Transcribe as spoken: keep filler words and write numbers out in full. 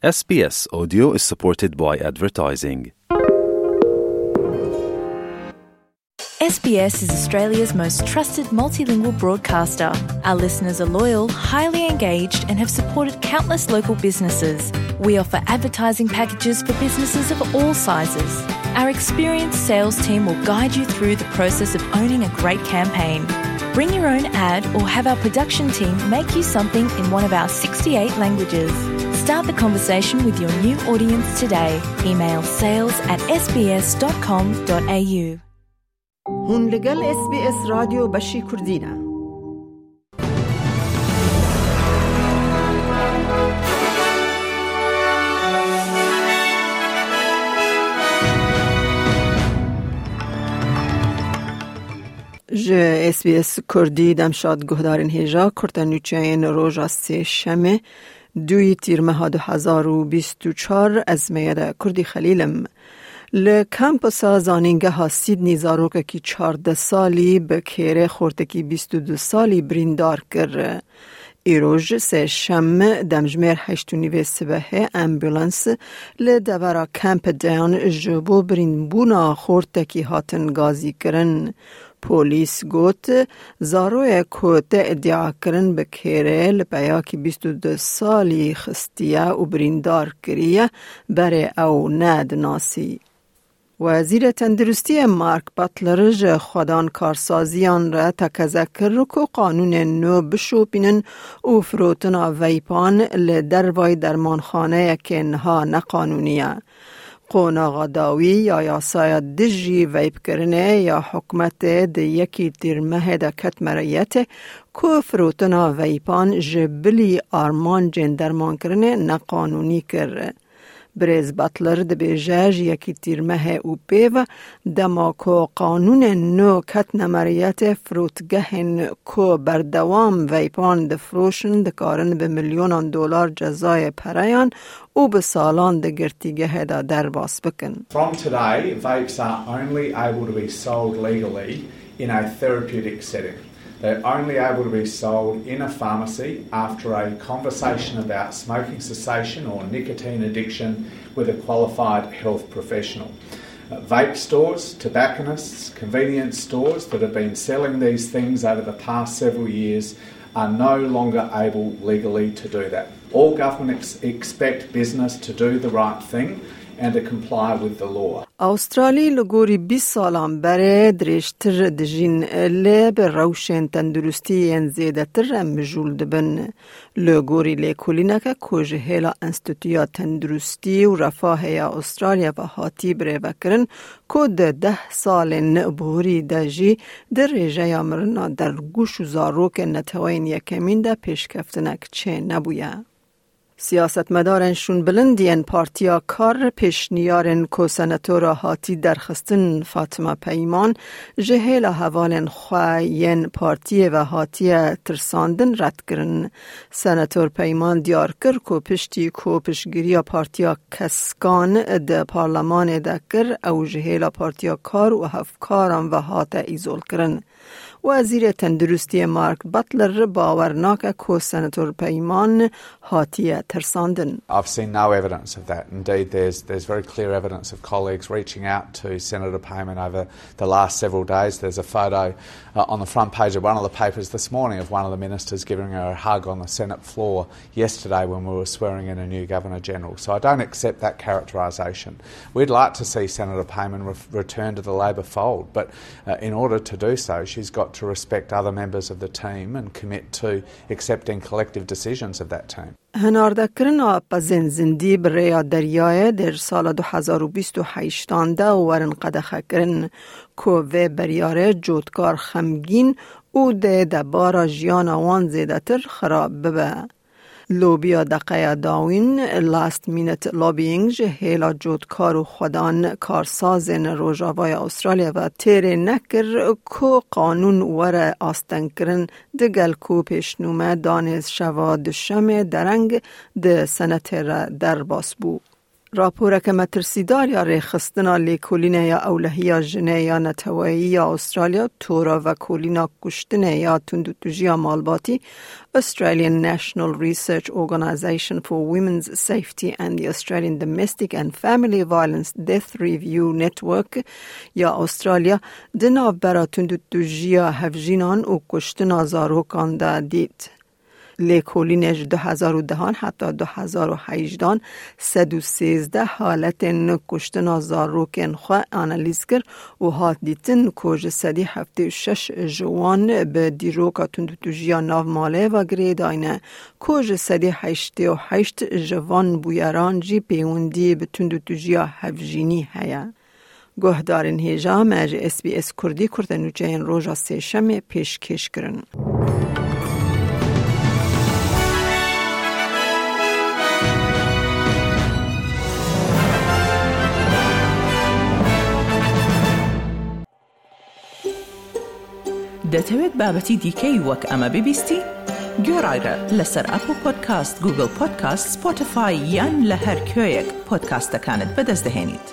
S B S Audio is supported by advertising. S B S is Australia's most trusted multilingual broadcaster. Our listeners are loyal, highly engaged, and have supported countless local businesses. We offer advertising packages for businesses of all sizes. Our experienced sales team will guide you through the process of owning a great campaign. Bring your own ad or have our production team make you something in one of our sixty-eight languages. Start the conversation with your new audience today. Email sales at S B S dot com dot A U. Hûn li gel S B S Radyo Beşî Kurdî ne. Ji S B S Kurdî demşad guhdarên hêja kurte nûçeyên roja sêşemê, duyî tîrmeha du hezar û bîst û çar, ez Meyede Kurdî Xelîl im. Li kampusa zanîngeha Sydney zarokekî çardeh salî bi kêrê xortekî bîst û du salî birîndar kir. Îroj sêşem demjimêr heşt û nîvê sibehê ambulans li devera Camperdown ji bo birînbûna xortekî hatin gazîkirin. Polîs got, zaroyek ku tê îdiakirin bi kêrê li peyakî bîst û du salî xistiye û birîndar kiriye, berê ew nedinasî. Wezîrê Tenduristiyê Mark Butler ji xwedan karsaziyan re tekeze kir ku qanûnên nû bişopînin û firotina veypan li dervayî dermanxaneyekê niha neqanûnî ye. Qonaxa dawî ya yasaya dijî veypkirinê ya hikûmetê di yekî tîrmehê de ket meriyetê ku firotina veypan ji bilî armancên dermankirinê neqanûnî kir. Birêz Butler dibêje, ji yekî tîrmehê û pê ve, dema ku qanûnên nû ketine meriyetê, firotgehên ku berdewam veypan difiroşin, dikarin bi milyonan dolar cezayê pereyan û bi salan di girtîgehê de derbas bikin. From today, vapes are only able to be sold legally in a therapeutic setting. They're only able to be sold in a pharmacy after a conversation about smoking cessation or nicotine addiction with a qualified health professional. Uh, vape stores, tobacconists, convenience stores that have been selling these things over the past several years are no longer able legally to do that. All governments expect business to do the right thing and to comply with the law. Awustralî li gorî bîst salan berê dirêjtir dijîn, lê bi rewşên tenduristî yên zêdetir re mijûl dibin. Li gorî lêkolîneke ku ji hêla Enstîtuya Tenduristî û Refahê ya Awustralya ve hatî birêvekirin, ku di deh salên borî de jî di rêjeya mirina dergûş û zarokên neteweyên yekemîn de pêşkeftinek çênebûye. Siyasetmedarên şûnbilind yên Partiya Kar pêşniyarên ku senatora hatî derxistin Fatima Peyman ji hêla hevalên xwe yên partiyê ve hatiye tirsandin red kirin. Senator Peyman diyar kir ku piştî ku piştgiriya Partiya Keskan di parlemanê de kir, ew ji hêla Partiya Kar û hevkaran ve hate îzolkirin. Wezîrê Tenduristiyê Mark Butler bawer nake ku Senator Peyman hatiye tirsandin. I've seen no evidence of that. Indeed, there's, there's very clear evidence of colleagues reaching out to Senator Payman over the last several days. There's a photo, uh, on the front page of one of the papers this morning of one of the ministers giving her a hug on the Senate floor yesterday when we were swearing in a new Governor General. So I don't accept that characterisation. We'd like to see Senator Payman re- return to the Labor fold, but, uh, in order to do so, she's got to respect other members of the team and commit to accepting collective decisions of that team. Hinardekirina pezên zindî bi rêya deryayê di sala du hezar û bîst û heştan de werin qedexekirin, ku vê biryarê cotkar xemgîn û dê debara jiyana wan zêdetir xirab bibe. Lobiya deqeya dawîn, last minute lobbying, ji hêla cotkar û xwedan karsazên Rojavaya Astralya ve têrê nekir ku qanûn were astengkirin, digel ku pêşnûme danê şeva duşemê dereng di senetê re derbas bû. Raporeke metirsîdar ya rêxistina lêkolîne ya ewlehiya jinê ya neteweyî ya Australya, tora vekolîna kuştinê ya tundûtûjiya malbatî, Australian National Research Organisation for Women's Safety and the Australian Domestic and Family Violence Death Review Network ya Australya, di navbera tundûtûjiya hevjînan û kuştina zarokan de dît. Lêkolînê ji du hezar û dehan heta du hezar û hejdehan sed û sêzdeh haletên kuştina zarokên xwe analîz kir û hat dîtin ku ji sedî heftê û şeş ji wan bi dîroka tundûtûjiya nav malê ve girêdayî ne, ku ji sedî heştê û heşt ji van bûyeran jî pêwendî bi tundûtûjiya hevjînî heye. Guhdarên hêja me ji S B S Kurdî kurtenûçeyên roja Sêşemê pêşkêş kirin. دەتەوێت بابەتی دیکەی وەک ئەمە ببیستی؟ گوێڕایرە لەسەر ئەپڵ پۆدکاست، گوگڵ پۆدکاست، سپۆتیفای یان لە هەر کوێیەک پۆدکاستەکانت بەدەست دەهێنیت.